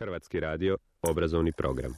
Hrvatski radio, obrazovni program.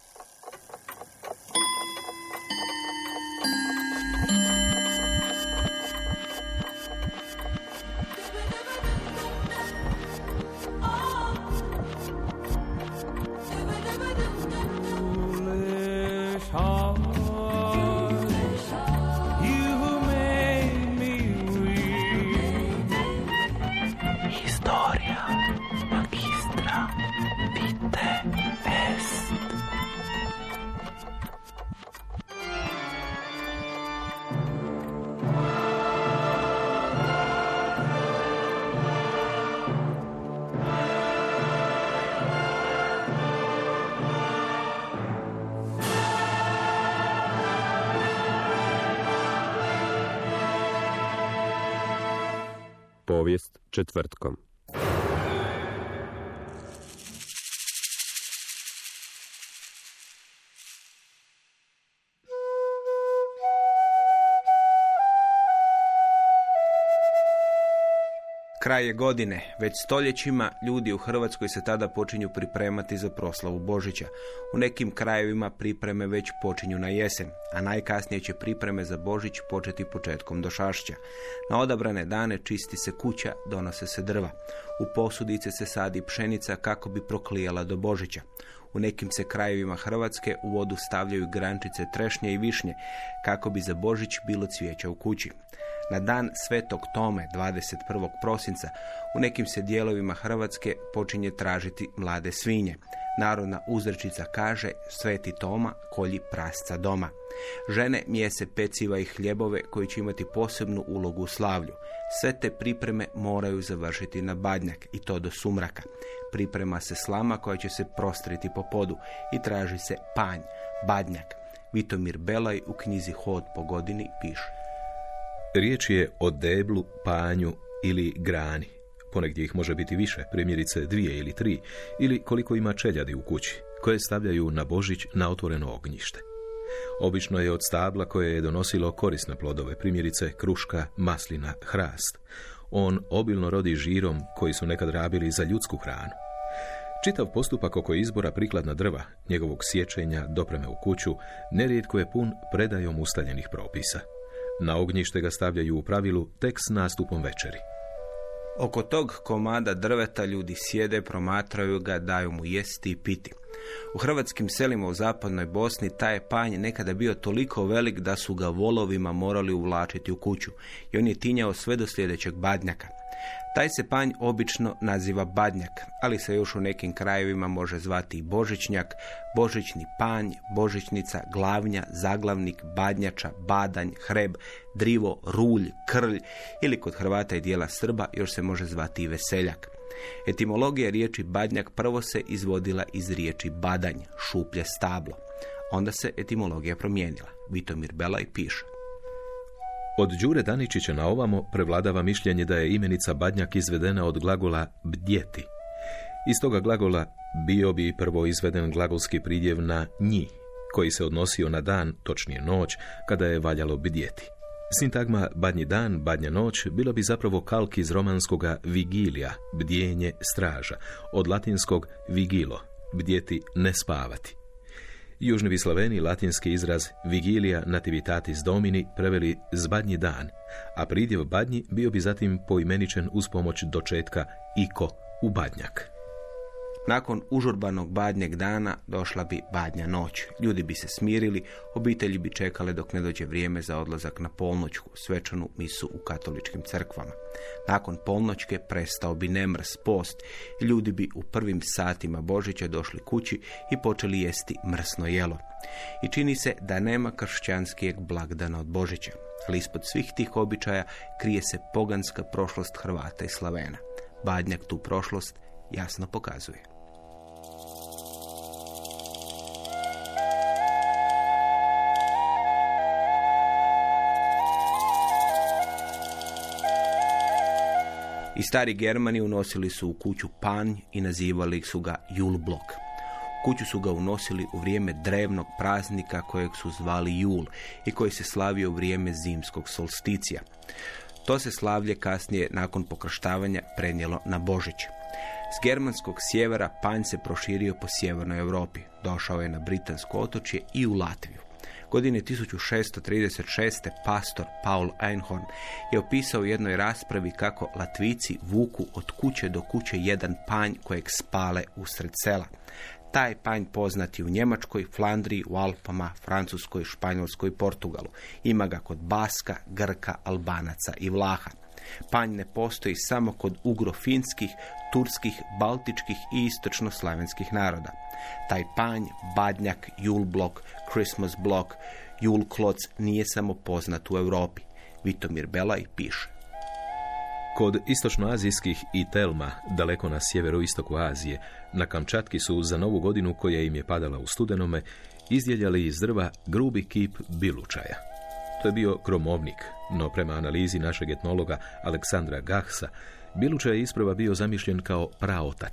Povijest četvrtkom. Kraj je godine. Već stoljećima ljudi u Hrvatskoj se tada počinju pripremati za proslavu Božića. U nekim krajevima pripreme već počinju na jesen, a najkasnije će pripreme za Božić početi početkom došašća. Na odabrane dane čisti se kuća, donose se drva. U posudice se sadi pšenica kako bi proklijala do Božića. U nekim se krajevima Hrvatske u vodu stavljaju grančice trešnje i višnje kako bi za Božić bilo cvijeća u kući. Na dan Svetog Tome, 21. prosinca, u nekim se dijelovima Hrvatske počinje tražiti mlade svinje. Narodna uzrečica kaže: Sveti Toma kolji prasca doma. Žene mijese peciva i hljebove koji će imati posebnu ulogu u slavlju. Sve te pripreme moraju završiti na Badnjak, i to do sumraka. Priprema se slama koja će se prostriti po podu i traži se panj, Badnjak. Vitomir Belaj u knjizi Hod po godini piše: Riječ je o deblu, panju ili grani. Ponegdje ih može biti više, primjerice 2 ili 3, ili koliko ima čeljadi u kući, koje stavljaju na Božić na otvoreno ognjište. Obično je od stabla koje je donosilo korisne plodove, primjerice kruška, maslina, hrast. On obilno rodi žirom koji su nekad rabili za ljudsku hranu. Čitav postupak oko izbora prikladna drva, njegovog sječenja, dopreme u kuću, nerijetko je pun predajom ustaljenih propisa. Na ognjište ga stavljaju u pravilu tek s nastupom večeri. Oko tog komada drveta ljudi sjede, promatraju ga, daju mu jesti i piti. U hrvatskim selima u zapadnoj Bosni taj je panj nekada bio toliko velik da su ga volovima morali uvlačiti u kuću i on je tinjao sve do sljedećeg Badnjaka. Taj se panj obično naziva Badnjak, ali se još u nekim krajevima može zvati i Božićnjak, Božićni panj, Božićnica, Glavnja, Zaglavnik, Badnjača, Badanj, Hreb, Drivo, Rulj, Krlj ili kod Hrvata i dijela Srba još se može zvati i Veseljak. Etimologija riječi Badnjak prvo se izvodila iz riječi Badanj, šuplje stablo. Onda se etimologija promijenila. Vitomir Belaj piše: Od Đure Daničića na ovamo prevladava mišljenje da je imenica Badnjak izvedena od glagola bdjeti. Iz toga glagola bio bi prvo izveden glagolski pridjev na nji, koji se odnosio na dan, točnije noć, kada je valjalo bdjeti. Sintagma badnji dan, badnja noć bilo bi zapravo kalk iz romanskoga vigilija, bdjenje, straža, od latinskog vigilo, bdjeti, ne spavati. Južni Vislaveni latinski izraz Vigilia nativitatis Domini preveli zbadnji dan, a pridjev badnji bio bi zatim poimeničen uz pomoć dočetka iko u Badnjak. Nakon užurbanog Badnjeg dana došla bi Badnja noć. Ljudi bi se smirili, obitelji bi čekale dok ne dođe vrijeme za odlazak na polnoćku, svečanu misu u katoličkim crkvama. Nakon polnoćke prestao bi nemrs, post, i ljudi bi u prvim satima Božića došli kući i počeli jesti mrsno jelo. I čini se da nema kršćanskijeg blagdana od Božića, ali ispod svih tih običaja krije se poganska prošlost Hrvata i Slavena. Badnjak tu prošlost jasno pokazuje. I stari Germani unosili su u kuću panj i nazivali su ga Julblok. U kuću su ga unosili u vrijeme drevnog praznika kojeg su zvali Jul i koji se slavio u vrijeme zimskog solsticija. To se slavlje kasnije nakon pokrštavanja prenijelo na Božić. S germanskog sjevera panj se proširio po sjevernoj Europi. Došao je na britansko otočje i u Latviju. Godine 1636. pastor Paul Einhorn je opisao u jednoj raspravi kako Latvici vuku od kuće do kuće jedan panj kojeg spale usred sela. Taj panj poznat je u Njemačkoj, Flandriji, u Alpama, Francuskoj, Španjolskoj i Portugalu. Ima ga kod Baska, Grka, Albanaca i Vlaha. Panj ne postoji samo kod ugrofinskih, turskih, baltičkih i istočnoslavenskih naroda. Taj panj, badnjak, julblok, Christmas blok, julkloc nije samo poznat u Europi. Vitomir Belaj piše. Kod istočnoazijskih i Telma, daleko na sjeveroistoku Azije, na Kamčatki su za Novu godinu koja im je padala u studenome, izdjeljali iz drva grubi kip bilučaja. To je bio kromovnik, no prema analizi našeg etnologa Aleksandra Gahsa, bilučaj je isprva bio zamišljen kao praotac.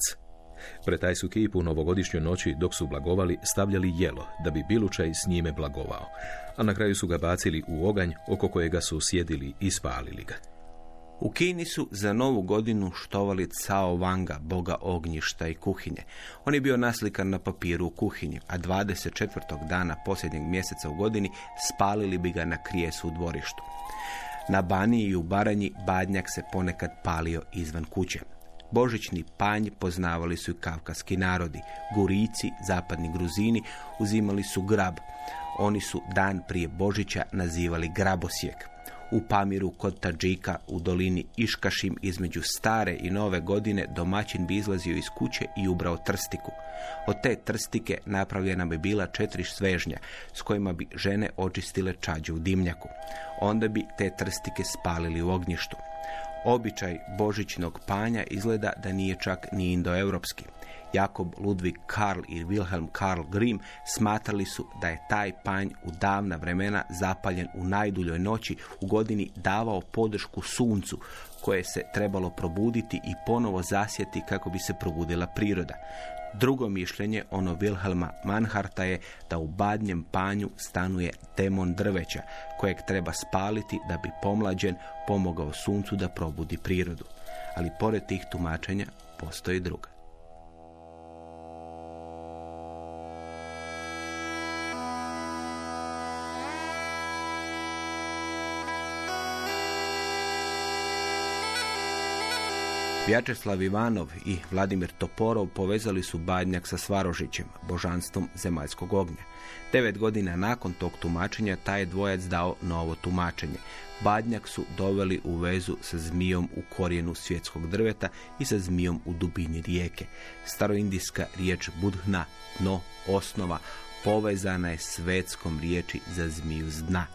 Pred taj su kip u novogodišnjoj noći, dok su blagovali, stavljali jelo, da bi bilučaj s njime blagovao, a na kraju su ga bacili u oganj oko kojega su sjedili i spalili ga. U Kini su za Novu godinu štovali Cao Wanga, boga ognjišta i kuhinje. On je bio naslikan na papiru u kuhinji, a 24. dana posljednjeg mjeseca u godini spalili bi ga na krijesu u dvorištu. Na Baniji i u Baranji badnjak se ponekad palio izvan kuće. Božićni panj poznavali su i kavkaski narodi. Gurici, zapadni Gruzini, uzimali su grab. Oni su dan prije Božića nazivali grabosjek. U Pamiru kod Tadžika u dolini Iškašim između stare i nove godine domaćin bi izlazio iz kuće i ubrao trstiku. Od te trstike napravljena bi bila 4 svežnja s kojima bi žene očistile čađe u dimnjaku. Onda bi te trstike spalili u ognjištu. Običaj božićnog panja izgleda da nije čak ni indoeuropski. Jakob Ludwig Karl i Wilhelm Karl Grimm smatrali su da je taj panj u davna vremena zapaljen u najduljoj noći u godini davao podršku suncu koje se trebalo probuditi i ponovo zasjeti kako bi se probudila priroda. Drugo mišljenje, ono Wilhelma Manharta, je da u badnjem panju stanuje demon drveća kojeg treba spaliti da bi pomlađen pomogao suncu da probudi prirodu. Ali pored tih tumačenja postoji druga. Vjačeslav Ivanov i Vladimir Toporov povezali su badnjak sa Svarožićem, božanstvom zemaljskog ognja. 9 godina nakon tog tumačenja taj je dvojac dao novo tumačenje. Badnjak su doveli u vezu sa zmijom u korijenu svjetskog drveta i sa zmijom u dubini rijeke. Staroindijska riječ budhna, dno, osnova, povezana je s vedskom riječi za zmiju s dna.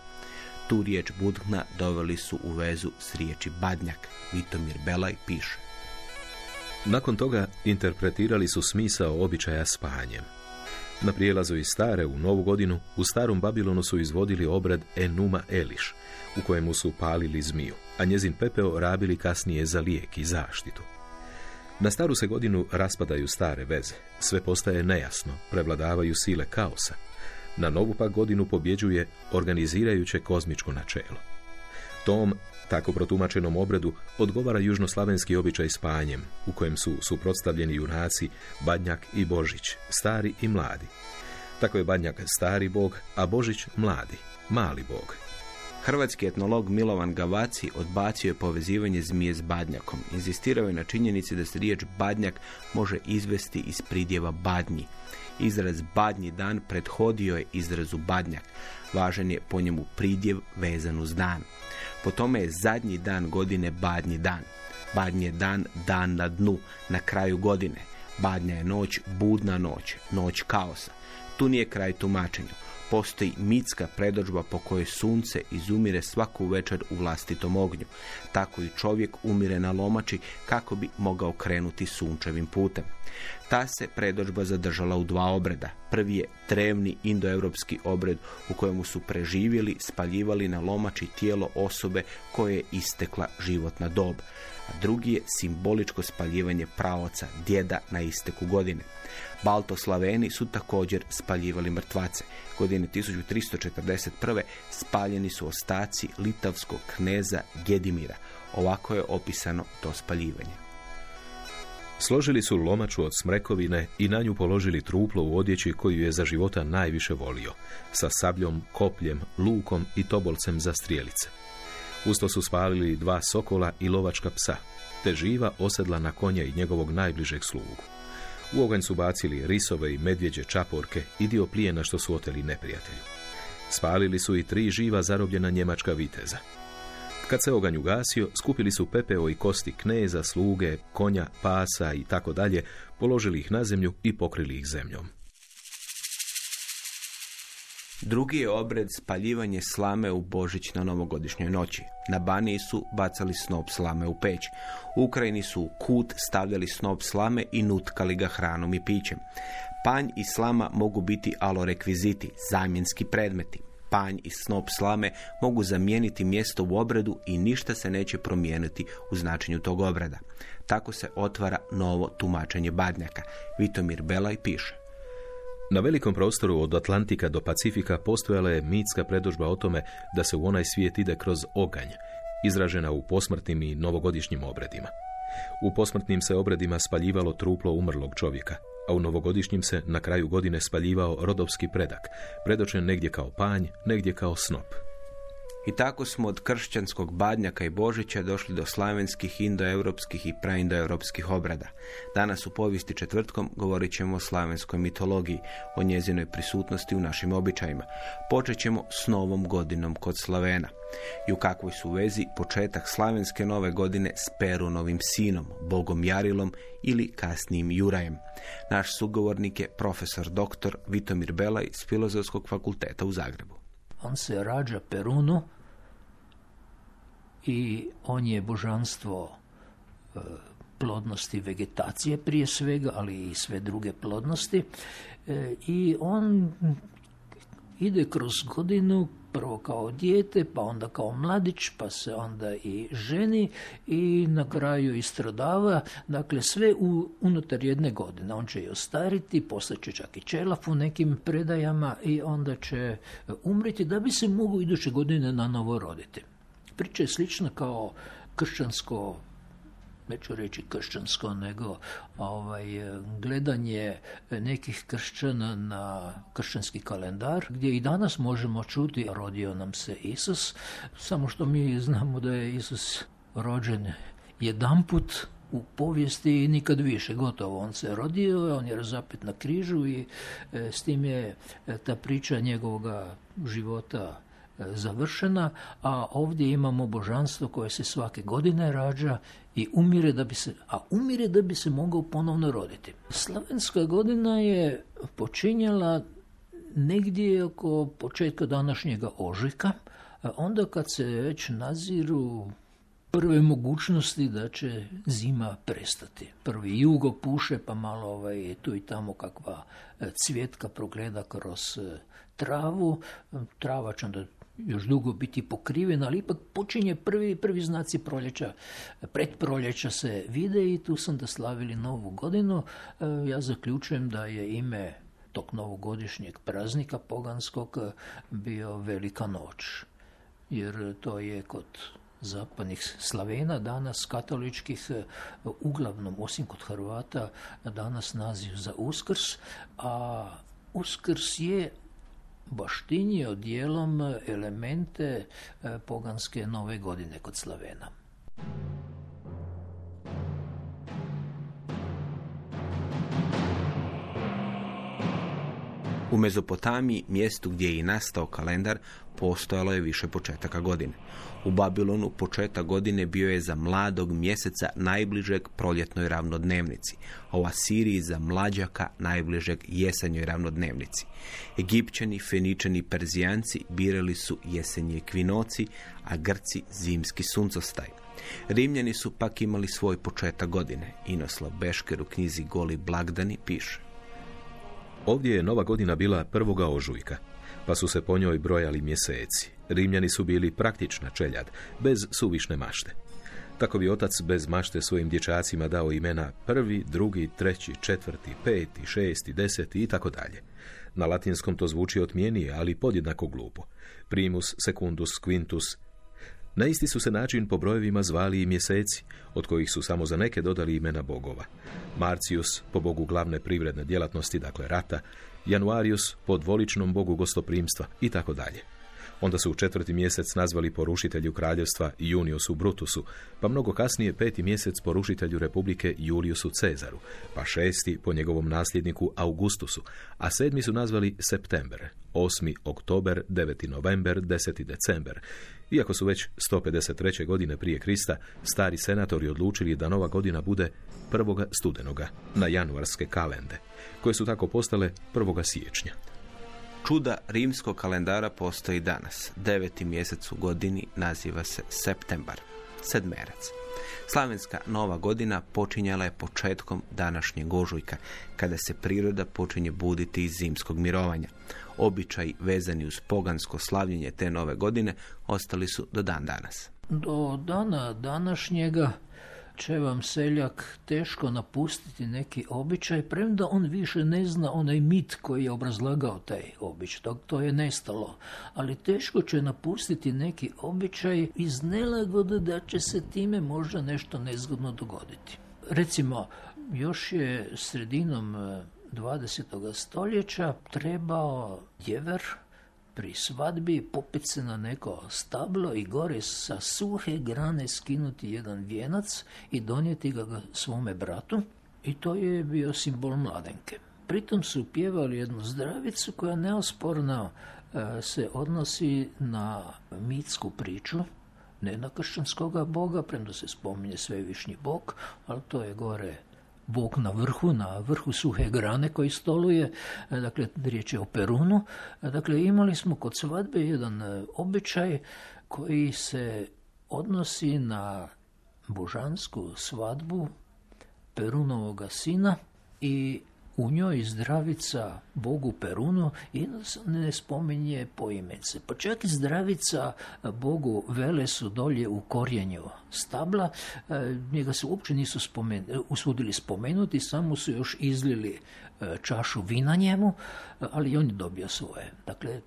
Tu riječ budhna doveli su u vezu s riječi badnjak. Vitomir Belaj piše. Nakon toga interpretirali su smisao običaja s panjem. Na prijelazu iz stare u Novu godinu u starom Babilonu su izvodili obrad Enuma Eliš, u kojemu su palili zmiju, a njezin pepeo rabili kasnije za lijek i zaštitu. Na staru se godinu raspadaju stare veze, sve postaje nejasno, prevladavaju sile kaosa. Na novu pak godinu pobjeđuje organizirajuće kozmičko načelo. Tom tako protumačenom obredu odgovara južnoslavenski običaj s panjem, u kojem su suprotstavljeni junaci Badnjak i Božić, stari i mladi. Tako je Badnjak stari bog, a Božić mladi, mali bog. Hrvatski etnolog Milovan Gavaci odbacio je povezivanje zmije s badnjakom. Inzistirao je na činjenici da se riječ badnjak može izvesti iz pridjeva badnji. Izraz badnji dan prethodio je izrazu badnjak. Važan je po njemu pridjev vezan uz dan. Po tome je zadnji dan godine badnji dan. Badnji je dan, dan na dnu, na kraju godine. Badnja je noć, budna noć, noć kaosa. Tu nije kraj tumačenju. Postoji mitska predodžba po kojoj sunce izumire svaku večer u vlastitom ognju. Tako i čovjek umire na lomači kako bi mogao krenuti sunčevim putem. Ta se predodžba zadržala u 2 obreda. Prvi je drevni indoeuropski obred u kojemu su preživjeli, spaljivali na lomači tijelo osobe koje je istekla životna dob. A drugi je simboličko spaljivanje praoca, djeda na isteku godine. Baltoslaveni su također spaljivali mrtvace. Godine 1341. spaljeni su ostaci litavskog kneza Gedimira. Ovako je opisano to spaljivanje. Složili su lomaču od smrekovine i na nju položili truplo u odjeći koju je za života najviše volio, sa sabljom, kopljem, lukom i tobolcem za strijelice. Usto su spalili 2 sokola i lovačka psa, te živa osedla na konja i njegovog najbližeg slugu. U oganj su bacili risove i medvjeđe čaporke i dio plijena što su oteli neprijatelju. Spalili su i 3 živa zarobljena njemačka viteza. Kad se oganj ugasio, skupili su pepeo i kosti kneza, sluge, konja, pasa i tako dalje, položili ih na zemlju i pokrili ih zemljom. Drugi je obred spaljivanje slame u Božić na novogodišnjoj noći. Na Baniji su bacali snop slame u peć. U Ukrajini su u kut stavljali snop slame i nutkali ga hranom i pićem. Panj i slama mogu biti alorekviziti, zamjenski predmeti. Panj i snop slame mogu zamijeniti mjesto u obredu i ništa se neće promijeniti u značenju tog obreda. Tako se otvara novo tumačenje Badnjaka. Vitomir Belaj piše. Na velikom prostoru od Atlantika do Pacifika postojala je mitska predodžba o tome da se u onaj svijet ide kroz oganj, izražena u posmrtnim i novogodišnjim obredima. U posmrtnim se obredima spaljivalo truplo umrlog čovjeka, a u novogodišnjim se na kraju godine spaljivao rodovski predak, predočen negdje kao panj, negdje kao snop. I tako smo od kršćanskog Badnjaka i Božića došli do slavenskih, indoeuropskih i praindoeuropskih obrada. Danas u povijesti četvrtkom govorit ćemo o slavenskoj mitologiji, o njezinoj prisutnosti u našim običajima. Počet ćemo s novom godinom kod Slavena. I u kakvoj su vezi početak slavenske nove godine s Perunovim sinom, bogom Jarilom ili kasnijim Jurajem. Naš sugovornik je profesor dr. Vitomir Belaj s Filozofskog fakulteta u Zagrebu. On se rađa Perunu i on je božanstvo plodnosti vegetacije prije svega, ali i sve druge plodnosti. I on ide kroz godinu, prvo kao dijete, pa onda kao mladić, pa se onda i ženi i na kraju i stradava. Dakle, sve unutar jedne godine. On će i ostariti, postaće čak i čelaf u nekim predajama i onda će umriti da bi se mogu iduće godine na novo roditi. Priča je slična kao kršćansko, neću reći kršćansko, nego gledanje nekih kršćana na kršćanski kalendar, gdje i danas možemo čuti rodio nam se Isus, samo što mi znamo da je Isus rođen jedanput u povijesti i nikad više, gotovo. On se rodio, on je razapet na križu i s tim je ta priča njegovoga života završena, a ovdje imamo božanstvo koje se svake godine rađa i umire da bi se mogao ponovno roditi. Slavenska godina je počinjala negdje oko početka današnjega ožujka, onda kad se već naziru prve mogućnosti da će zima prestati. Prvi jugo puše, pa malo tu i tamo kakva cvjetka progleda kroz travu. Trava će onda još dugo biti pokrivena, ali ipak počinje prvi znaci proljeća. Pred proljeća se vide i tu sam da slavili novu godinu. Ja zaključujem da je ime tog novogodišnjeg praznika poganskog bio Velika noć. Jer to je kod zapadnih Slavena, danas katoličkih, uglavnom osim kod Hrvata, danas naziv za Uskrs, a Uskrs je baštinio dijelom elemente poganske nove godine kod Slavena. U Mezopotamiji, mjestu gdje je i nastao kalendar, postojalo je više početaka godine. U Babilonu početak godine bio je za mladog mjeseca najbližeg proljetnoj ravnodnevnici, a u Asiriji za mlađaka najbližeg jesenjoj ravnodnevnici. Egipćani, Feničani i Perzijanci birali su jesenji ekvinoci, a Grci zimski suncostaj. Rimljani su pak imali svoj početak godine. Inoslav Bešker u knjizi Goli blagdani piše: Ovdje je nova godina bila 1. ožujka, pa su se po njoj brojali mjeseci. Rimljani su bili praktična čeljad, bez suvišne mašte. Tako bi otac bez mašte svojim dječacima dao imena 1., 2., 3., 4., 5., 6., 10. i tako dalje. Na latinskom to zvuči otmijenije, ali podjednako glupo. Primus, secundus, quintus. Na isti su se način po brojevima zvali i mjeseci, od kojih su samo za neke dodali imena bogova. Marcius po bogu glavne privredne djelatnosti, dakle rata, Januarius po dvoličnom bogu gostoprimstva i tako dalje. Onda su u 4. mjesec nazvali po rušitelju kraljevstva Juniusu Brutusu, pa mnogo kasnije 5. mjesec po rušitelju republike Juliusu Cezaru, pa 6. po njegovom nasljedniku Augustusu, a 7. su nazvali September, 8. oktober, 9. november, 10. december. Iako su već 153. godine prije Krista stari senatori odlučili da nova godina bude 1. studenoga na januarske kalende, koje su tako postale 1. siječnja. Čuda rimskog kalendara postoji danas. 9. mjesec u godini naziva se Septembar, sedmerac. Slavenska nova godina počinjala je početkom današnjeg ožujka, kada se priroda počinje buditi iz zimskog mirovanja. Običaji vezani uz pogansko slavljenje te nove godine ostali su do dan danas. Do dana današnjega će vam seljak teško napustiti neki običaj, premda on više ne zna onaj mit koji je obrazlagao taj običaj. To je nestalo. Ali teško će napustiti neki običaj iz nelagode da će se time možda nešto nezgodno dogoditi. Recimo, još je sredinom 20. stoljeća trebao djever pri svadbi popet se na neko stablo i gore sa suhe grane skinuti jedan vijenac i donijeti ga svome bratu, i to je bio simbol mladenke. Pritom su pjevali jednu zdravicu koja neosporno se odnosi na mitsku priču, ne na kršćanskoga boga, premda se spominje svevišnji bog, ali to je gore bog na vrhu suhe grane koji stoluje, dakle riječ je o Perunu. Dakle, imali smo kod svadbe jedan običaj koji se odnosi na božansku svadbu Perunovoga sina i u njoj zdravica bogu Perunu i ne spominje poimence. Pa čak i zdravica bogu Velesu dolje u korijenju stabla, njega se uopće nisu usudili spomenuti, samo su još izlili čašu vina njemu, ali on je dobio svoje. Dakle,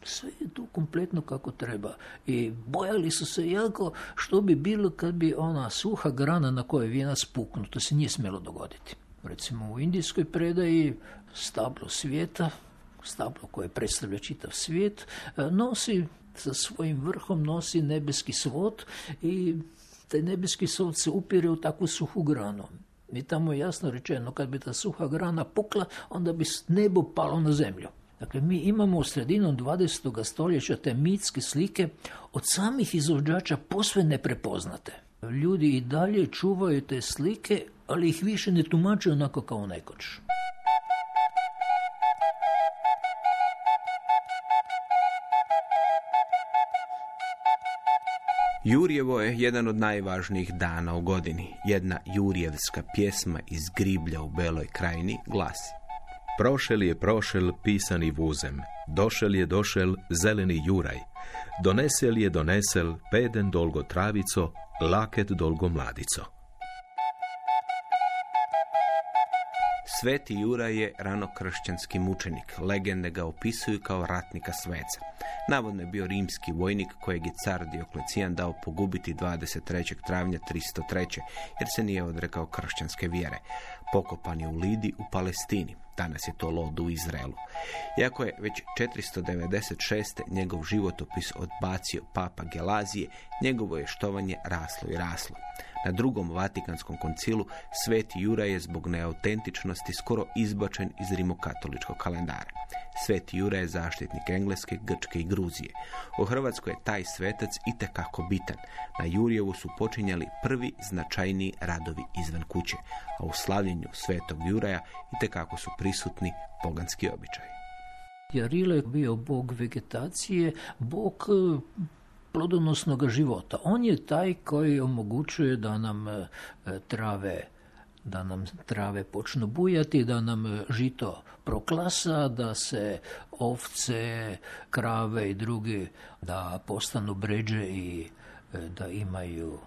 sve je tu kompletno kako treba. I bojali su se jako što bi bilo kad bi ona suha grana na kojoj je vijenac puknut. To se nije smjelo dogoditi. Recimo u indijskoj predaji stablo svijeta, stablo koje predstavlja čitav svijet, nosi sa svojim vrhom nosi nebeski svod i taj nebeski svod se upire u takvu suhu granu. I tamo je jasno rečeno, kad bi ta suha grana pukla, onda bi nebo palo na zemlju. Dakle, mi imamo u sredinom 20. stoljeća te mitske slike od samih izvođača posve neprepoznate. Ljudi i dalje čuvaju te slike, ali ih više ne tumače onako kao nekoć. Jurjevo je jedan od najvažnijih dana u godini. Jedna jurjevska pjesma iz Griblja u Beloj krajini glasi: Prošel je prošel pisani vuzem, došel je došel zeleni juraj, donesel je donesel peden dolgo travico, laket dolgo mladico. Sveti Juraj je ranokršćanski mučenik. Legende ga opisuju kao ratnika sveca. Navodno je bio rimski vojnik kojeg je car Dioklecijan dao pogubiti 23. travnja 303. jer se nije odrekao kršćanske vjere. Pokopan je u Lidi u Palestini. Danas je to Lod u Izraelu. Iako je već 496. njegov životopis odbacio papa Gelazije, njegovo je štovanje raslo i raslo. Na drugom Vatikanskom koncilu Sveti Juraj je zbog neautentičnosti skoro izbačen iz rimokatoličkog kalendara. Sveti Juraj je zaštitnik Engleske, Grčke i Gruzije. U Hrvatskoj je taj svetac itekako bitan. Na Jurjevu su počinjali prvi značajniji radovi izvan kuće, a u slavljenju Svetog Juraja itekako su prisutni poganski običaji. Jarilo je bio bog vegetacije, bog plodonosnog života. On je taj koji omogućuje da nam trave počnu bujati, da nam žito proklasa, da se ovce, krave i drugi da postanu bređe i da imaju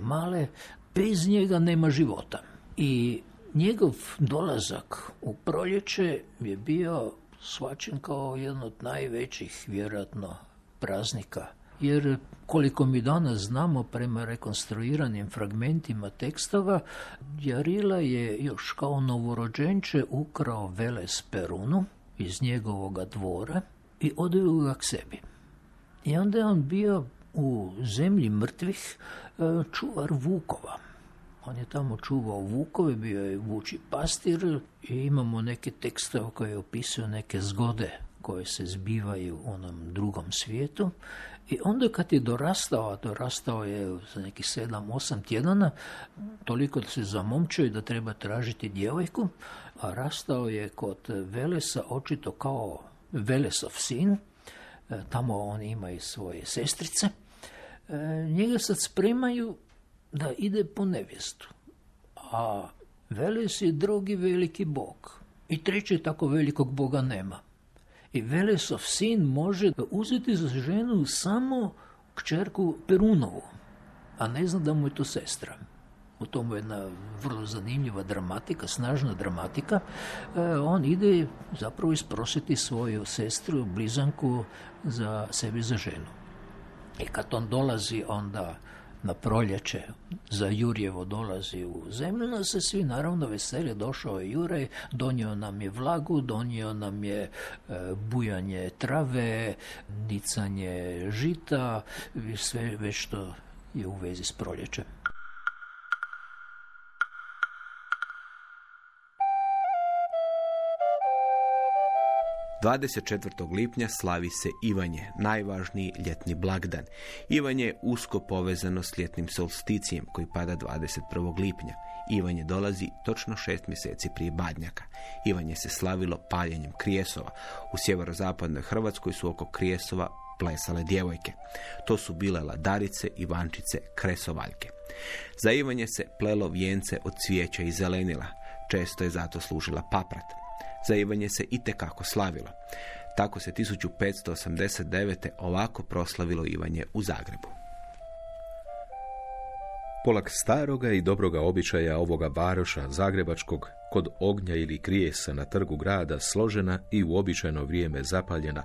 male. Bez njega nema života. I njegov dolazak u proljeće je bio shvaćen kao jedan od najvećih, vjerojatno, praznika jer koliko mi danas znamo prema rekonstruiranim fragmentima tekstova, Jarila je još kao novorođenče ukrao Veles Perunu iz njegovoga dvora i odveo ga k sebi. I onda je on bio u zemlji mrtvih čuvar vukova. On je tamo čuvao vukove, bio je vuči pastir i imamo neke tekstove koje opisuju neke zgode koje se zbivaju u onom drugom svijetu. I onda kad je dorastao, a dorastao je za nekih 7-8 tjedana, toliko da se zamomčio i da treba tražiti djevojku, a rastao je kod Velesa očito kao Velesov sin, tamo on ima i svoje sestrice. Njega sad spremaju da ide po nevjestu, a Veles je drugi veliki bog i treći tako velikog boga nema. I Velesov sin može uzeti za ženu samo kćerku Perunovu, a ne zna da mu je to sestra. U tomu je jedna vrlo zanimljiva dramatika, snažna dramatika. On ide zapravo isprositi svoju sestru, blizanku, za sebi za ženu. I kad on dolazi onda na proljeće, za Jurjevo dolazi u zemlju, no se svi naravno veseli, došao je Juraj, donio nam je vlagu, donio nam je bujanje trave, nicanje žita, sve već što je u vezi s proljećem. – 24. lipnja slavi se Ivanje, najvažniji ljetni blagdan. Ivanje je usko povezano s ljetnim solsticijem koji pada 21. lipnja. Ivanje dolazi točno 6 mjeseci prije Badnjaka. Ivanje se slavilo paljenjem krijesova. U sjeverozapadnoj Hrvatskoj su oko krijesova plesale djevojke. To su bile ladarice, ivančice, kresovaljke. Za Ivanje se plelo vijence od cvijeća i zelenila. Često je zato služila paprat. Za Ivanje se itekako slavilo. Tako se 1589. ovako proslavilo Ivanje u Zagrebu. Polak staroga i dobroga običaja ovoga varoša zagrebačkog, kod ognja ili krijesa na trgu grada složena i u običajno vrijeme zapaljena,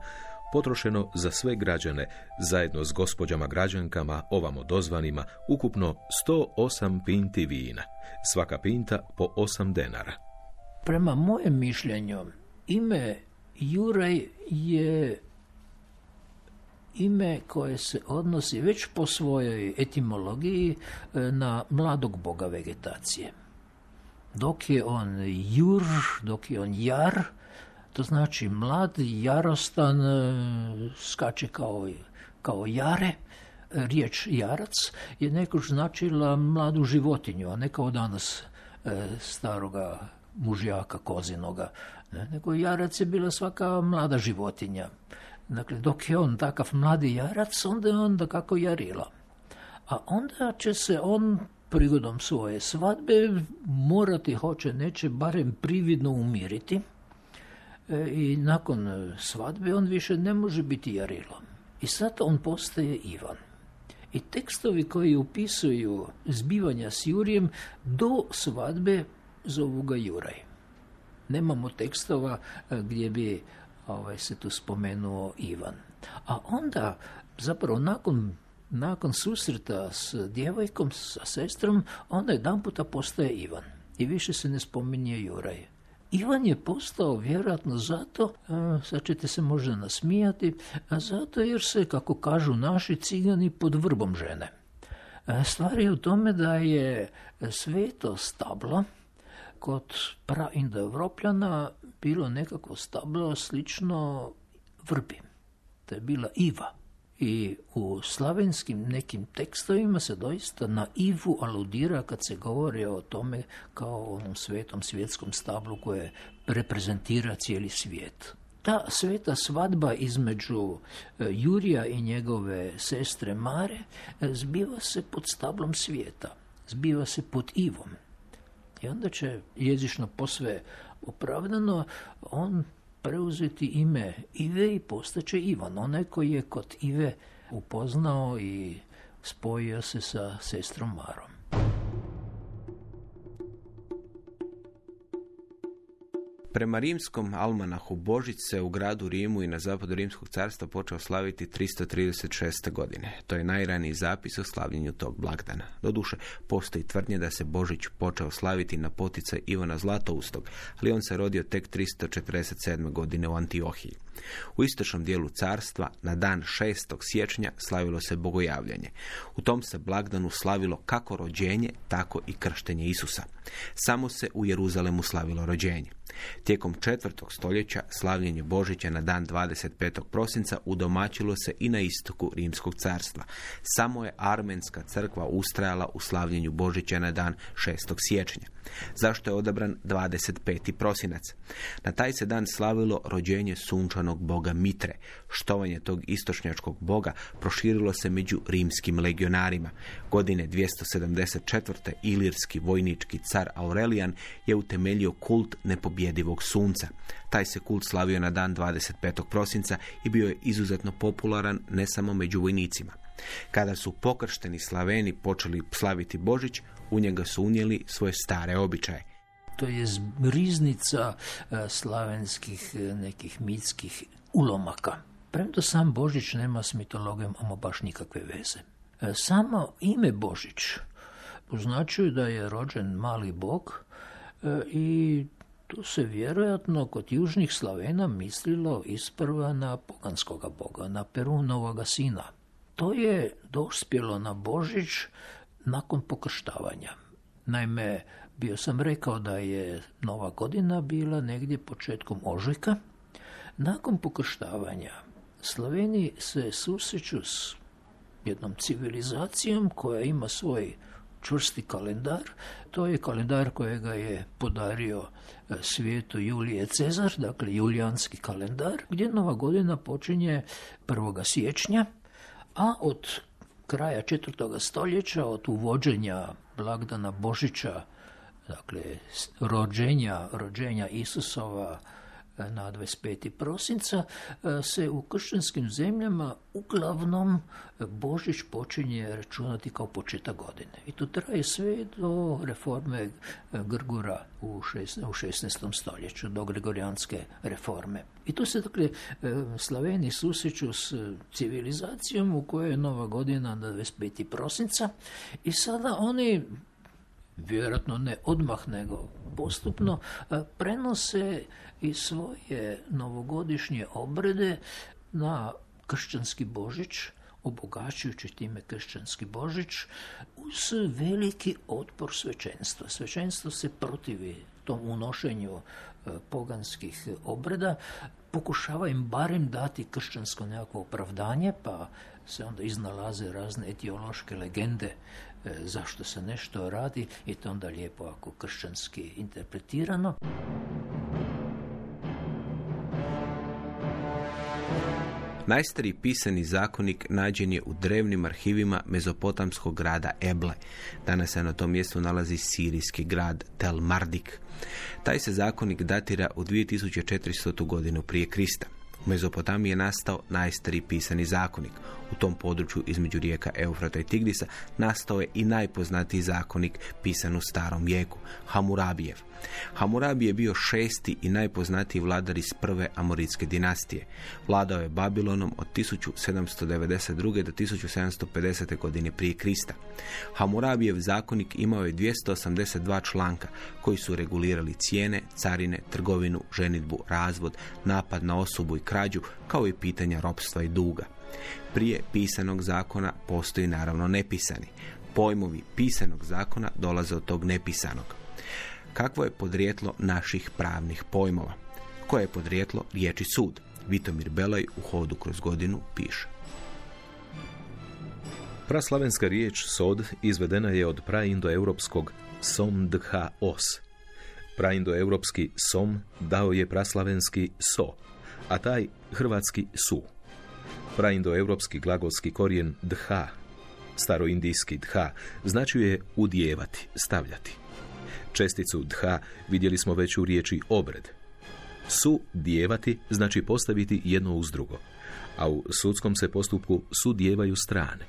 potrošeno za sve građane, zajedno s gospođama građankama, ovamo dozvanima, ukupno 108 pinti vina, svaka pinta po 8 denara. Prema mojem mišljenju, ime Juraj je ime koje se odnosi već po svojoj etimologiji na mladog boga vegetacije. Dok je on Jur, dok je on Jar, to znači mlad, jarostan, skače kao jare. Riječ jarac je nekoć značila mladu životinju, a ne kao danas staroga mužjaka kozinoga, nego jarac je bila svaka mlada životinja. Dakle, dok je on takav mladi jarac, onda je on dakako Jarila. A onda će se on prigodom svoje svadbe morati, hoće neće, barem prividno umiriti. I nakon svadbe on više ne može biti Jarilo. I sad on postaje Ivan. I tekstovi koji upisuju zbivanja s Jurijem do svadbe zovu ga Juraj. Nemamo tekstova gdje bi se tu spomenuo Ivan. A onda, zapravo nakon susreta s djevojkom, sa sestrom, onda jedanputa postaje Ivan. I više se ne spominje Juraj. Ivan je postao vjerojatno zato, sad ćete se možda nasmijati, zato jer se, kako kažu naši cigani, pod vrbom žene. Stvar je u tome da je sveto stablo kod praindoevropljana bilo nekako stablo slično vrbi. To je bila Iva. I u slavenskim nekim tekstovima se doista na Ivu aludira kad se govori o tome kao o onom svetom svjetskom stablu koje reprezentira cijeli svijet. Ta sveta svadba između Jurija i njegove sestre Mare zbiva se pod stablom svijeta, zbiva se pod Ivom. I onda će jezično posve opravdano on preuzeti ime Ive i postaće Ivan, onaj koji je kod Ive upoznao i spojio se sa sestrom Marom. Prema rimskom almanahu Božić se u gradu Rimu i na zapadu Rimskog carstva počeo slaviti 336. godine. To je najraniji zapis o slavljenju tog blagdana. Doduše, postoji tvrdnje da se Božić počeo slaviti na poticaj Ivana Zlatoustog, ali on se rodio tek 347. godine u Antiohiji. U istočnom dijelu carstva na dan 6. siječnja slavilo se bogojavljanje. U tom se blagdanu slavilo kako rođenje, tako i krštenje Isusa. Samo se u Jeruzalemu slavilo rođenje. Tijekom 4. stoljeća slavljenje Božića na dan 25. prosinca udomaćilo se i na istoku Rimskog carstva. Samo je Armenska crkva ustrajala u slavljenju Božića na dan 6. siječnja. Zašto je odabran 25. prosinac? Na taj se dan slavilo rođenje sunčanog boga Mitre. Štovanje tog istočnjačkog boga proširilo se među rimskim legionarima. Godine 274. ilirski vojnički car Aurelijan je utemeljio kult nepobjedivog sunca. Taj se kult slavio na dan 25. prosinca i bio je izuzetno popularan ne samo među vojnicima. Kada su pokršteni Slaveni počeli slaviti Božić, u njega su unijeli svoje stare običaje. To je riznica slavenskih nekih mitskih ulomaka. Premda sam Božić nema s mitologijom ama baš nikakve veze. Samo ime Božić označuje da je rođen mali bog i tu se vjerojatno kod južnih Slavena mislilo isprva na poganskoga boga, na Perunovoga sina. To je dospjelo na Božić nakon pokrštavanja. Naime, bio sam rekao da je Nova godina bila negdje početkom ožujka. Nakon pokrštavanja Slaveni se susreću s jednom civilizacijom koja ima svoj čvrsti kalendar. To je kalendar kojega je podario svijetu Julije Cezar, dakle julijanski kalendar, gdje Nova godina počinje 1. siječnja, a od kraja 4. stoljeća, od uvođenja blagdana Božića, dakle rođenja Isusova na 25. prosinca, se u kršćanskim zemljama uglavnom Božić počinje računati kao početak godine. I to traje sve do reforme Grgura u 16. stoljeću, do gregorijanske reforme. I tu se, dakle, Slaveni susreću s civilizacijom u kojoj je Nova godina na 25. prosinca i sada oni, vjerojatno ne odmah nego postupno, prenose i svoje novogodišnje obrede na kršćanski Božić, obogaćujući time kršćanski Božić uz veliki otpor svećenstva. Svećenstvo se protivi tom unošenju poganskih obreda, pokušava im barem dati kršćansko nekakvo opravdanje, pa se onda iznalaze razne etiološke legende zašto se nešto radi i to onda lijepo ako kršćanski interpretirano. Najstariji pisani zakonik nađen je u drevnim arhivima mezopotamskog grada Eble. Danas se na tom mjestu nalazi sirijski grad Tel Mardik. Taj se zakonik datira u 2400. godinu prije Krista. U Mezopotamiji je nastao najstariji pisani zakonik. U tom području između rijeka Eufrata i Tigrisa nastao je i najpoznatiji zakonik pisan u starom vijeku, Hamurabijev. Hamurabi je bio 6. i najpoznatiji vladar iz prve Amoritske dinastije. Vladao je Babilonom od 1792. do 1750. godine prije Krista. Hamurabijev zakonik imao je 282 članka koji su regulirali cijene, carine, trgovinu, ženidbu, razvod, napad na osobu i krađu, kao i pitanja ropstva i duga. Prije pisanog zakona postoji naravno nepisani. Pojmovi pisanog zakona dolaze od tog nepisanog. Kakvo je podrijetlo naših pravnih pojmova? Koje je podrijetlo riječi sud? Vitomir Belaj u Hodu kroz godinu piše. Praslavenska riječ sod izvedena je od praindoeuropskog som dha os. Praindoeuropski som dao je praslavenski so, a taj hrvatski su. Praindoeuropski glagolski korijen dha, staroindijski dha, značuje udijevati, stavljati. Česticu dha vidjeli smo već u riječi obred. Su dijevati znači postaviti jedno uz drugo, a u sudskom se postupku sudijevaju strane.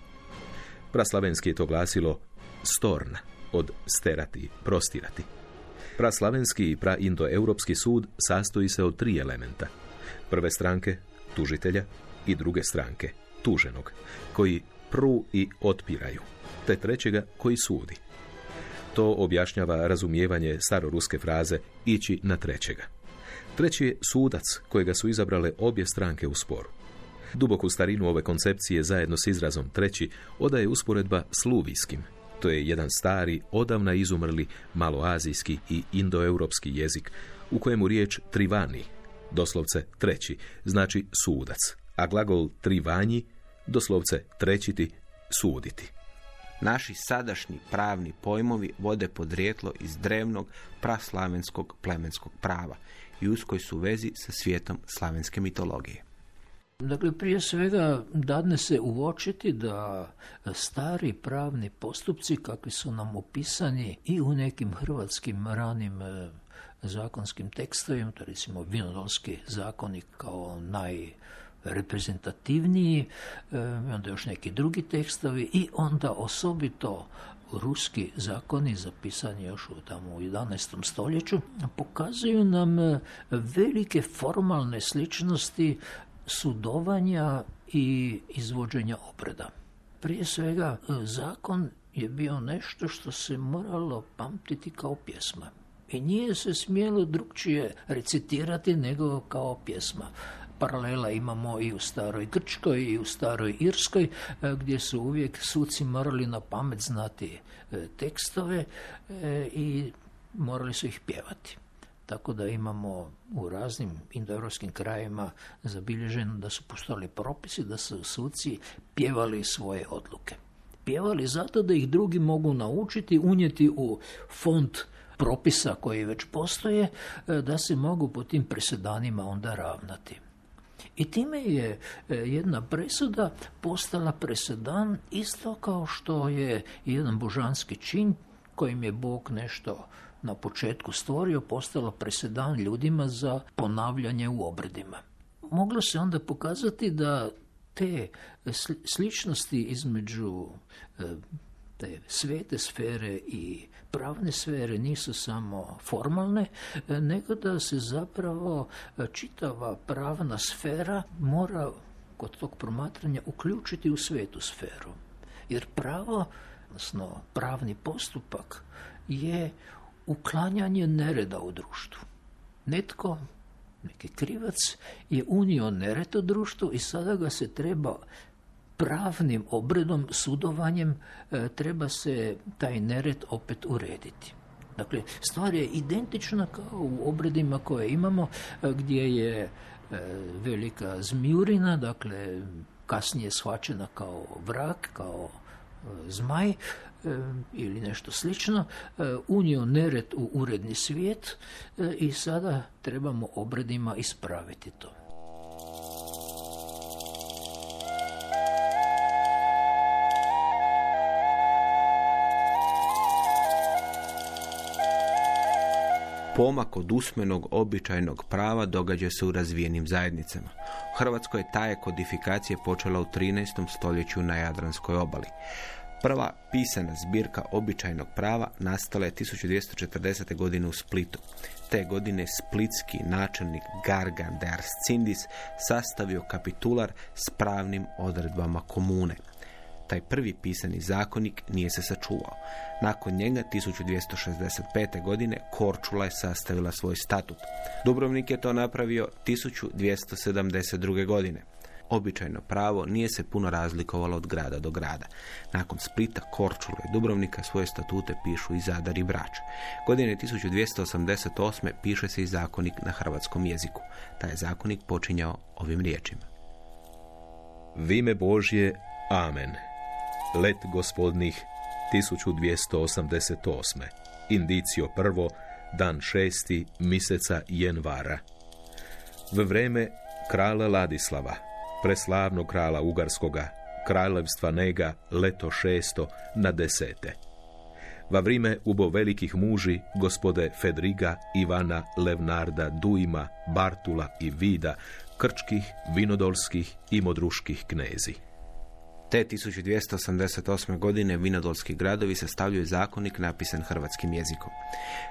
Praslavenski je to glasilo storna, od sterati, prostirati. Praslavenski i praindoeuropski sud sastoji se od 3 elementa. Prve stranke, tužitelja, i druge stranke, tuženog, koji pru i otpiraju, te trećega koji sudi. To objašnjava razumijevanje staroruske fraze ići na trećega. Treći je sudac, kojega su izabrale obje stranke u sporu. Duboku starinu ove koncepcije zajedno s izrazom treći odaje usporedba s luvijskim. To je jedan stari, odavna izumrli maloazijski i indoeuropski jezik u kojemu riječ trivani, doslovce treći, znači sudac, a glagol trivanji, doslovce trećiti, suditi. Naši sadašnji pravni pojmovi vode podrijetlo iz drevnog praslavenskog plemenskog prava i uskoj su vezi sa svijetom slavenske mitologije. Dakle, prije svega dadne se uočiti da stari pravni postupci, kakvi su nam opisani i u nekim hrvatskim ranim zakonskim tekstovima, to recimo Vinodolski zakonik kao najreprezentativniji, onda još neki drugi tekstovi i onda osobito ruski zakoni zapisani još tamo u 11. stoljeću pokazuju nam velike formalne sličnosti sudovanja i izvođenja obreda. Prije svega, zakon je bio nešto što se moralo pamtiti kao pjesma. I nije se smjelo drukčije recitirati nego kao pjesma. Paralela imamo i u staroj Grčkoj i u staroj Irskoj, gdje su uvijek suci morali na pamet znati tekstove i morali su ih pjevati. Tako da imamo u raznim indoeuropskim krajevima zabilježeno da su postojali propisi da su suci pjevali svoje odluke. Pjevali zato da ih drugi mogu naučiti, unijeti u fond propisa koji već postoje, da se mogu po tim presedanima onda ravnati. I time je jedna presuda postala presedan isto kao što je jedan božanski čin kojim je Bog nešto na početku stvorio, postalo presedan ljudima za ponavljanje u obredima. Moglo se onda pokazati da te sličnosti između te svete sfere i pravne sfere nisu samo formalne, nego da se zapravo čitava pravna sfera mora kod tog promatranja uključiti u svetu sferu. Jer pravo, odnosno pravni postupak, je uklanjanje nereda u društvu. Netko, neki krivac, je unio nered u društvu i sada ga se treba pravnim obredom, sudovanjem, treba se taj nered opet urediti. Dakle, stvar je identična kao u obredima koje imamo, gdje je velika zmijurina, dakle, kasnije shvaćena kao vrak, kao zmaj ili nešto slično, unio nered u uredni svijet i sada trebamo obredima ispraviti to. Pomak od usmenog običajnog prava događa se u razvijenim zajednicama. U Hrvatskoj je ta kodifikacija počela u 13. stoljeću na Jadranskoj obali. Prva pisana zbirka običajnog prava nastala je 1240. godine u Splitu. Te godine splitski načelnik Gargan de Arscindis sastavio kapitular s pravnim odredbama komune. Taj prvi pisani zakonik nije se sačuvao. Nakon njega, 1265. godine, Korčula je sastavila svoj statut. Dubrovnik je to napravio 1272. godine. Običajno pravo nije se puno razlikovalo od grada do grada. Nakon Splita, Korčule i Dubrovnika svoje statute pišu i Zadar i Brač. Godine 1288. piše se i zakonik na hrvatskom jeziku. Taj je zakonik počinjao ovim riječima. Vime Božje, amen. Let gospodnih 1288. Indicio prvo, dan 6. mjeseca Jenvara. V vreme krala Ladislava, preslavnog krala Ugarskoga, kraljevstva Nega, leto 6. na 10. Va vrime ubo velikih muži, gospode Fedriga, Ivana, Levnarda, Duima, Bartula i Vida, krčkih, vinodolskih i modruških knezi. Te 1288. godine vinodolski gradovi sastavljaju zakonik napisan hrvatskim jezikom.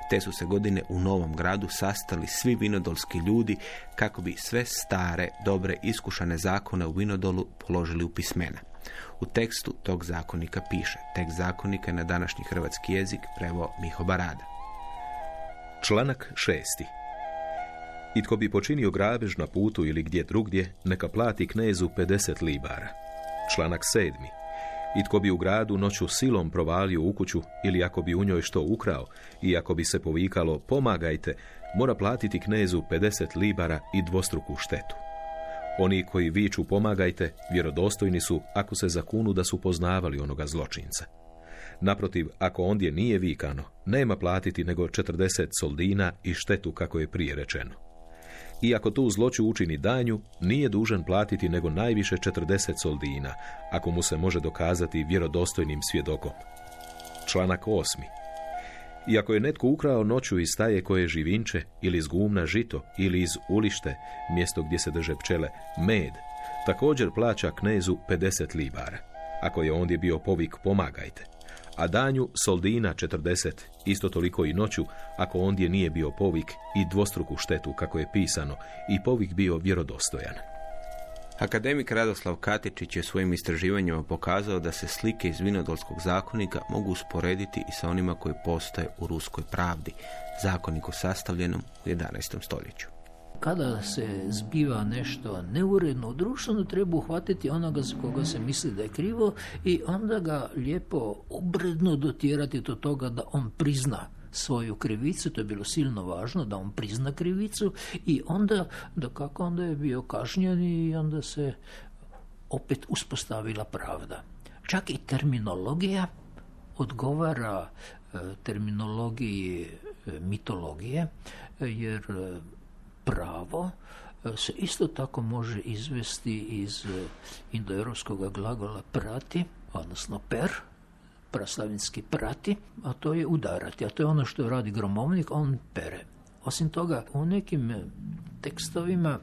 Te su se godine u Novom Gradu sastali svi vinodolski ljudi kako bi sve stare, dobre, iskušane zakone u Vinodolu položili u pismena. U tekstu tog zakonika piše. Tekst zakonika je na današnji hrvatski jezik preveo Miho Barada. Članak 6. I tko bi počinio grabež na putu ili gdje drugdje, neka plati knezu 50 libara. Članak 7. I tko bi u gradu noću silom provalio u kuću ili ako bi u njoj što ukrao i ako bi se povikalo pomagajte, mora platiti knezu 50 libara i dvostruku štetu. Oni koji viču pomagajte, vjerodostojni su ako se zakunu da su poznavali onoga zločinca. Naprotiv, ako ondje nije vikano, nema platiti nego 40 soldina i štetu kako je prije rečeno. I ako tu zloću učini danju, nije dužan platiti nego najviše 40 soldina, ako mu se može dokazati vjerodostojnim svjedokom. Članak 8. I ako je netko ukrao noću iz staje koje živinče, ili iz gumna žito, ili iz ulište, mjesto gdje se drže pčele, med, također plaća knezu 50 libara. Ako je ondje bio povik pomagajte. A danju soldina 40, isto toliko i noću, ako ondje nije bio povik, i dvostruku štetu, kako je pisano, i povik bio vjerodostojan. Akademik Radoslav Katičić je svojim istraživanjima pokazao da se slike iz vinodolskog zakonika mogu usporediti i sa onima koji postoje u ruskoj pravdi, zakoniku sastavljenom u 11. stoljeću. Kada se zbiva nešto neuredno u društvu, treba uhvatiti onoga za koga se misli da je krivo i onda ga lijepo obredno dotjerati do toga da on prizna svoju krivicu. To je bilo silno važno, da on prizna krivicu i onda, dakako, onda je bio kažnjen i onda se opet uspostavila pravda. Čak i terminologija odgovara terminologiji mitologije, jer pravo se isto tako može izvesti iz indoeuropskog glagola prati, odnosno per, praslavinski prati, a to je udarati, a to je ono što radi gromovnik, on pere. Osim toga, u nekim tekstovima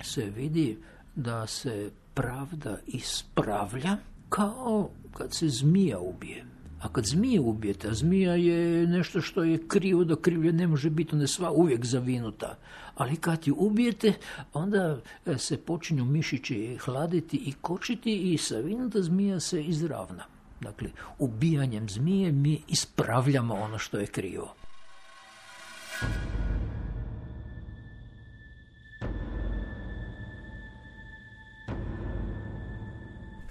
se vidi da se pravda ispravlja kao kad se zmija ubije. A kad zmije ubijete, a zmija je nešto što je krivo, da krivlje ne može biti, ona je sva uvijek zavinuta. Ali kad ju ubijete, onda se počinju mišići hladiti i kočiti i savinuta zmija se izravna. Dakle, ubijanjem zmije mi ispravljamo ono što je krivo.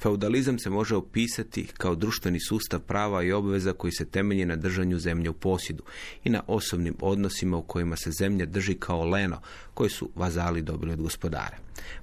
Feudalizam se može opisati kao društveni sustav prava i obveza koji se temelji na držanju zemlje u posjedu i na osobnim odnosima u kojima se zemlja drži kao leno koje su vazali dobili od gospodara.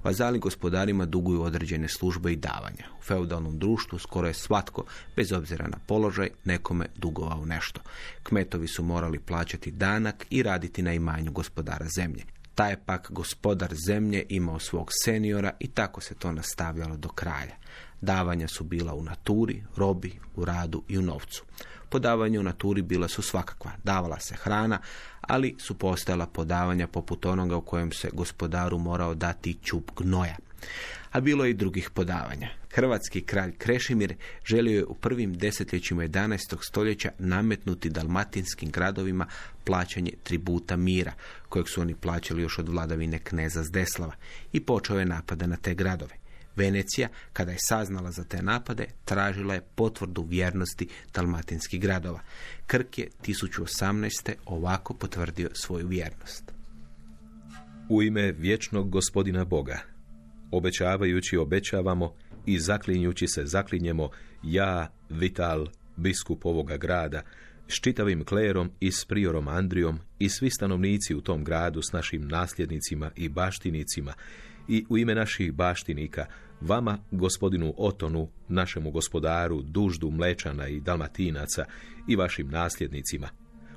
Vazali gospodarima duguju određene službe i davanja. U feudalnom društvu skoro je svatko, bez obzira na položaj, nekome dugovao nešto. Kmetovi su morali plaćati danak i raditi na imanju gospodara zemlje. Taj je pak gospodar zemlje imao svog seniora i tako se to nastavljalo do kralja. Davanja su bila u naturi, robi, u radu i u novcu. Podavanja u naturi bila su svakakva. Davala se hrana, ali su postojala podavanja poput onoga u kojem se gospodaru morao dati ćup gnoja. A bilo je i drugih podavanja. Hrvatski kralj Krešimir želio je u prvim desetljećima 11. stoljeća nametnuti dalmatinskim gradovima plaćanje tributa mira, kojeg su oni plaćali još od vladavine kneza Zdeslava, i počeo je napada na te gradove. Venecija, kada je saznala za te napade, tražila je potvrdu vjernosti dalmatinskih gradova. Krk je 1018. ovako potvrdio svoju vjernost. U ime vječnog gospodina Boga, obećavajući obećavamo i zaklinjući se zaklinjemo, ja, Vital, biskup ovoga grada, s čitavim klerom i s priorom Andrijom i svi stanovnici u tom gradu s našim nasljednicima i baštinicima, i u ime naših baštinika, vama, gospodinu Otonu, našemu gospodaru, Duždu Mlečana i Dalmatinaca i vašim nasljednicima,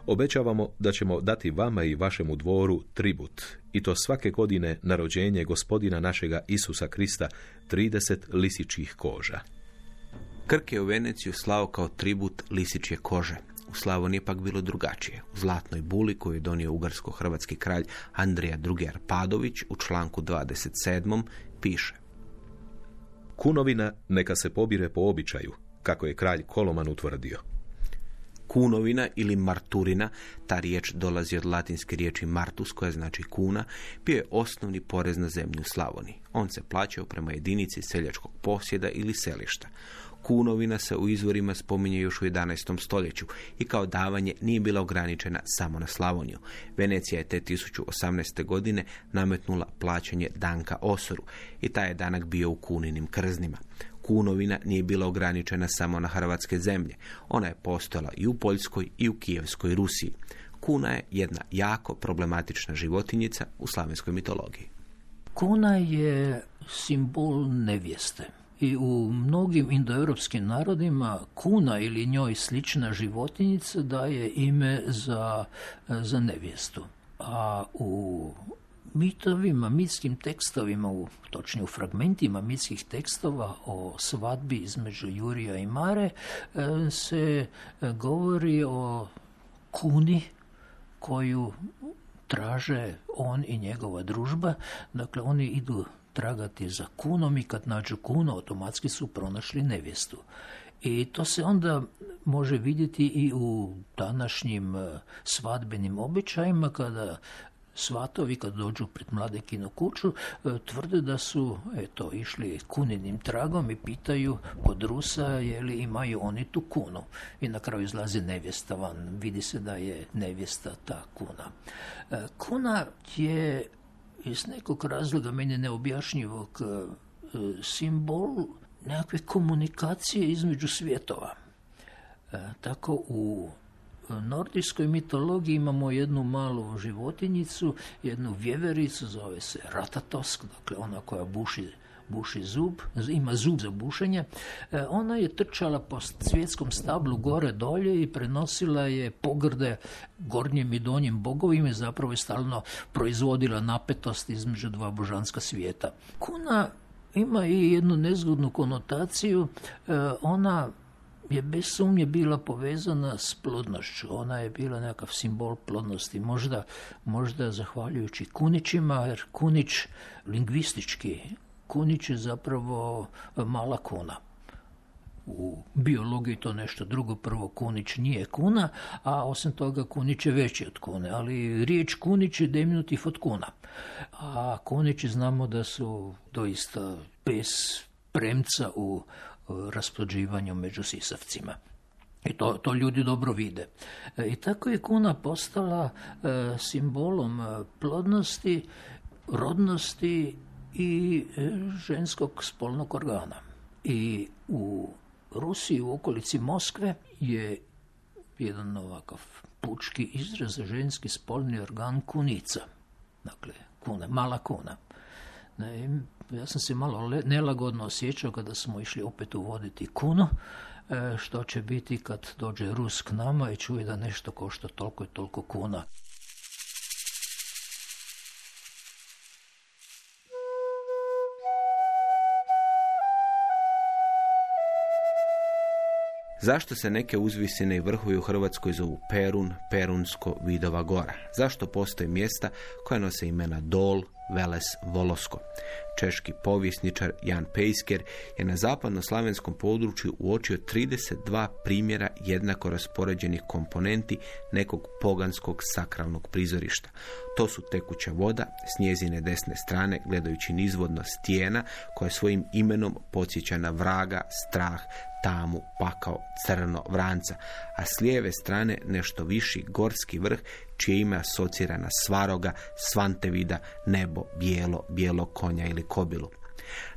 obećavamo da ćemo dati vama i vašemu dvoru tribut, i to svake godine na rođenje gospodina našega Isusa Krista 30 lisičjih koža. Krk je u Veneciju slao kao tribut lisičje kože. U Slavoniji pak bilo drugačije. U Zlatnoj buli koju je donio ugarsko-hrvatski kralj Andrija II. Arpadović u članku 27. piše: Kunovina neka se pobire po običaju, kako je kralj Koloman utvrdio. Kunovina ili marturina, ta riječ dolazi od latinske riječi martus, koja znači kuna, bio je osnovni porez na zemlju u Slavoniji. On se plaćao prema jedinici seljačkog posjeda ili selišta. Kunovina se u izvorima spominje još u 11. stoljeću i kao davanje nije bila ograničena samo na Slavoniju. Venecija je te 1018. godine nametnula plaćanje danka osoru i taj je danak bio u kuninim krznima. Kunovina nije bila ograničena samo na hrvatske zemlje. Ona je postojala i u Poljskoj i u Kijevskoj Rusiji. Kuna je jedna jako problematična životinjica u slavenskoj mitologiji. Kuna je simbol nevjeste. I u mnogim indoeuropskim narodima kuna ili njoj slična životinjica daje ime za nevjestu. A u mitovima, mitskim tekstovima, točnije u fragmentima mitskih tekstova o svadbi između Jurija i Mare se govori o kuni koju traže on i njegova družba. Dakle, oni idu tragati za kunom i kad nađu kunu, automatski su pronašli nevjestu. I to se onda može vidjeti i u današnjim svadbenim običajima, kada svatovi kad dođu pred mladekinu kuću tvrde da su išli kuninim tragom i pitaju kod Rusa je li imaju oni tu kunu. I na kraju izlazi nevjesta van. Vidi se da je nevjesta ta kuna. Kuna je iz nekog razloga meni neobjašnjivog simbol nekakve komunikacije između svjetova. Tako u nordijskoj mitologiji imamo jednu malu životinjicu, jednu vjevericu, zove se Ratatosk, dakle ona koja buši zub, ima zub za bušenje. Ona je trčala po svjetskom stablu gore dolje i prenosila je pogrde gornjim i donjim bogovima i zapravo je stalno proizvodila napetost između dva božanska svijeta. Kuna ima i jednu nezgodnu konotaciju, ona je bez sumnje bila povezana s plodnošću. Ona je bila nekakav simbol plodnosti. Možda zahvaljujući kunićima, jer kunić lingvistički, kunić je zapravo mala kuna. U biologiji to nešto drugo. Prvo, kunić nije kuna, a osim toga kunić je veći od kune. Ali riječ kunić je deminutiv od kuna. A kunići znamo da su doista bez premca u rasplođivanju među sisavcima. I to ljudi dobro vide. I tako je kuna postala simbolom plodnosti, rodnosti i ženskog spolnog organa. I u Rusiji, u okolici Moskve, je jedan ovakav pučki izraz za ženski spolni organ kunica. Dakle, kuna, mala kuna. Ja sam se malo nelagodno osjećao kada smo išli opet uvoditi kunu, što će biti kad dođe Rus k nama i čuje da nešto košta toliko i toliko kuna. Zašto se neke uzvisine i vrhovi u Hrvatskoj zovu Perun, Perunsko, Vidova gora? Zašto postoje mjesta koja nose imena Dol, Veles, Volosko? Češki povjesničar Jan Pejsker je na zapadnoslavenskom području uočio 32 primjera jednako raspoređenih komponenti nekog poganskog sakralnog prizorišta. To su tekuća voda s njezine desne strane, gledajući nizvodno stijena koja svojim imenom podsjeća na vraga, strah, tamu, pakao, crno, vranca, a s lijeve strane nešto viši gorski vrh čije ime asocira na Svaroga, Svantevida, nebo, bijelo konja ili kobilu.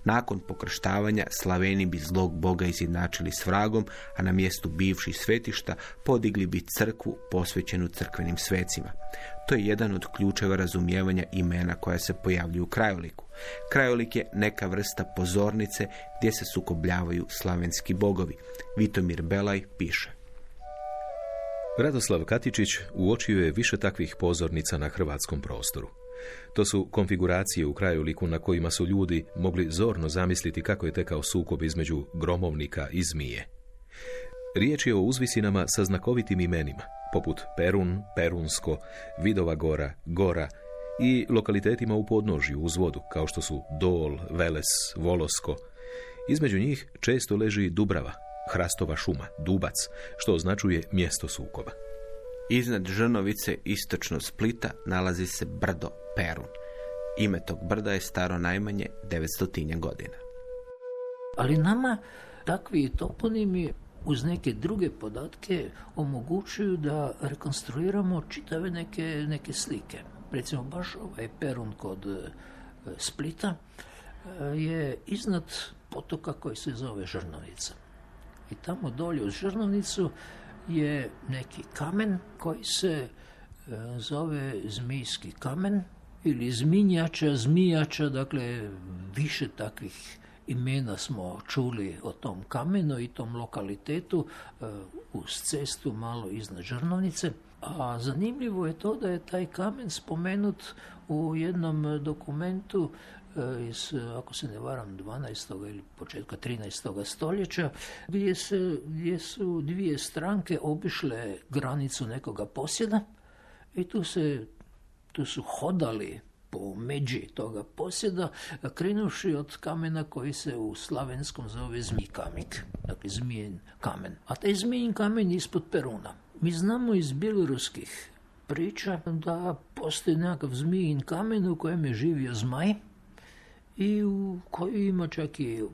Nakon pokrštavanja Slaveni bi zlog boga izjednačili s vragom, a na mjestu bivših svetišta podigli bi crkvu posvećenu crkvenim svecima. To je jedan od ključeva razumijevanja imena koja se pojavljuju u krajoliku. Krajolik je neka vrsta pozornice gdje se sukobljavaju slavenski bogovi. Vitomir Belaj piše: Radoslav Katičić uočio je više takvih pozornica na hrvatskom prostoru. To su konfiguracije u krajoliku na kojima su ljudi mogli zorno zamisliti kako je tekao sukob između gromovnika i zmije. Riječ je o uzvisinama sa znakovitim imenima, poput Perun, Perunsko, Vidova gora, Gora i lokalitetima u podnožju uz vodu, kao što su Dol, Veles, Volosko, Između njih često leži Dubrava, hrastova šuma, Dubac, što označuje mjesto sukoba. Iznad Žrnovice, istočno Splita, nalazi se brdo Perun. Ime tog brda je staro najmanje 900 godina. Ali nama takvi toponimi uz neke druge podatke omogućuju da rekonstruiramo čitave neke slike. Recimo baš ovaj Perun kod Splita je iznad potoka koji se zove Žrnovnica. I tamo dolje uz Žrnovnicu je neki kamen koji se zove Zmijski kamen ili Zmijača, dakle više takvih imena smo čuli o tom kamenu i tom lokalitetu uz cestu malo iznad Žrnovnice. A zanimljivo je to da je taj kamen spomenut u jednom dokumentu iz, ako se ne varam, 12. ili početka 13. stoljeća, gdje su dvije stranke obišle granicu nekoga posjeda i tu su hodali po međi toga posjeda, krenuši od kamena koji se u slavenskom zove Zmijkamik, dakle Zmijin kamen. A taj Zmijin kamen je ispod Peruna. Mi znamo iz bjeloruskih priča da postoji nekakav Zmijin kamen u kojem je živio zmaj i u koji ima čak i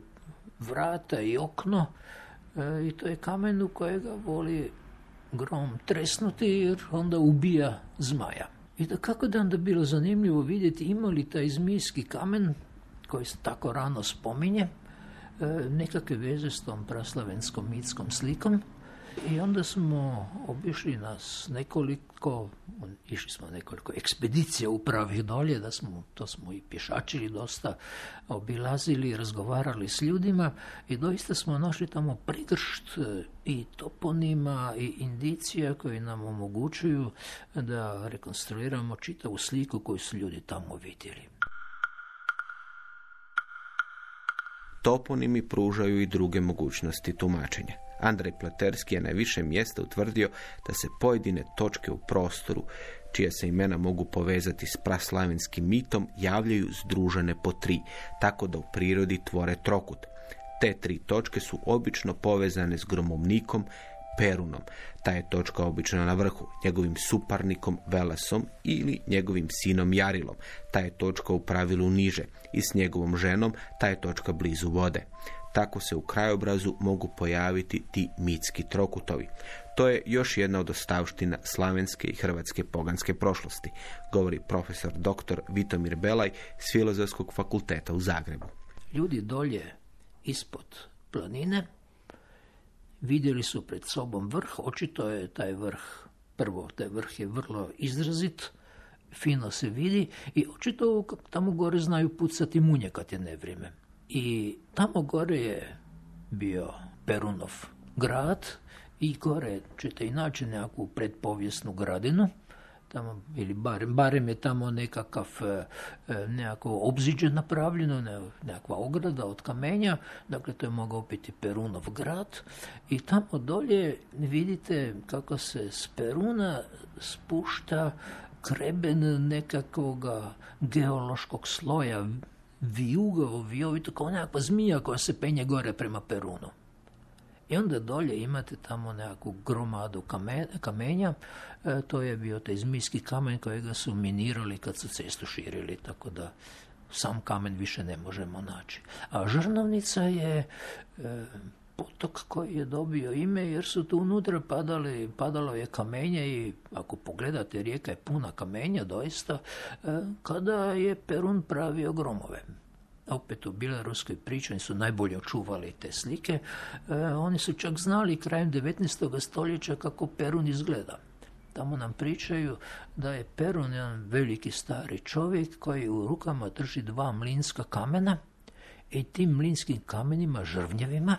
vrata i okno i to je kamen u kojega voli grom tresnuti jer onda ubija zmaja. I da kako da onda bilo zanimljivo vidjeti ima li taj Zmijski kamen koji se tako rano spominje nekakve veze s tom praslavenskom mitskom slikom. I onda smo obišli išli smo nekoliko ekspedicija upravih dolje, to smo i pješačili dosta, obilazili, razgovarali s ljudima i doista smo našli tamo prigršt i toponima i indicija koji nam omogućuju da rekonstruiramo čitavu sliku koju su ljudi tamo vidjeli. Toponimi pružaju i druge mogućnosti tumačenja. Andrej Pleterski je na više mjesta utvrdio da se pojedine točke u prostoru, čija se imena mogu povezati s praslavenskim mitom, javljaju združene po 3, tako da u prirodi tvore trokut. Te 3 točke su obično povezane s gromovnikom Perunom. Ta je točka obično na vrhu, njegovim suparnikom Velasom ili njegovim sinom Jarilom. Ta je točka u pravilu niže i s njegovom ženom ta je točka blizu vode. Tako se u krajobrazu mogu pojaviti ti mitski trokutovi. To je još jedna od ostavština slavenske i hrvatske poganske prošlosti, govori profesor dr. Vitomir Belaj s Filozofskog fakulteta u Zagrebu. Ljudi dolje ispod planine vidjeli su pred sobom vrh, očito je taj vrh je vrlo izrazit, fino se vidi i očito tamo gore znaju pucati munje kad je nevrijeme. I tamo gore je bio Perunov grad i gore ćete i naći nekakvu predpovijesnu gradinu, tamo, ili barem je tamo nekako obziđe napravljeno, nekakva ograda od kamenja, dakle to je mogao biti Perunov grad i tamo dolje vidite kako se s Peruna spušta kreben nekakvog geološkog sloja, vijovito kao nekakva zmija koja se penje gore prema Perunu. I onda dolje imate tamo nekakvu gromadu kamenja, to je bio taj Zmijski kamen kojega su minirali kad su cestu širili, tako da sam kamen više ne možemo naći. A Žrnovnica je potok koji je dobio ime jer su tu unutra padalo je kamenje i ako pogledate rijeka je puna kamenja doista kada je Perun pravio gromove. Opet u bjeloruskoj priči oni su najbolje očuvali te slike. Oni su čak znali krajem 19. stoljeća kako Perun izgleda. Tamo nam pričaju da je Perun jedan veliki stari čovjek koji u rukama drži 2 mlinska kamena i tim mlinskim kamenima, žrvnjevima,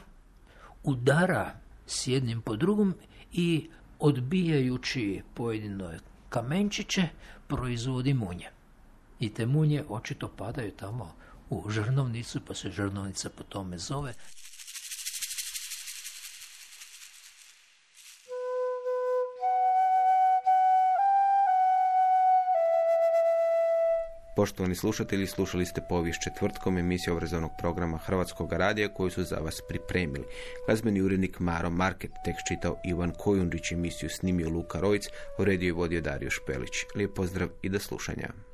udara s jednim po drugom i odbijajući pojedine kamenčiće proizvodi munje. I te munje očito padaju tamo u Žrnovnicu, pa se Žrnovnica po tome zove. Poštovani slušatelji, slušali ste Povijest četvrtkom, emisiju obrazovnog programa Hrvatskog radija koju su za vas pripremili. Glazbeni urednik Maro Market, tekst čitao Ivan Kojundžić, emisiju snimio Luka Rojc, uredio i vodio Dario Špelić. Lijep pozdrav i do slušanja.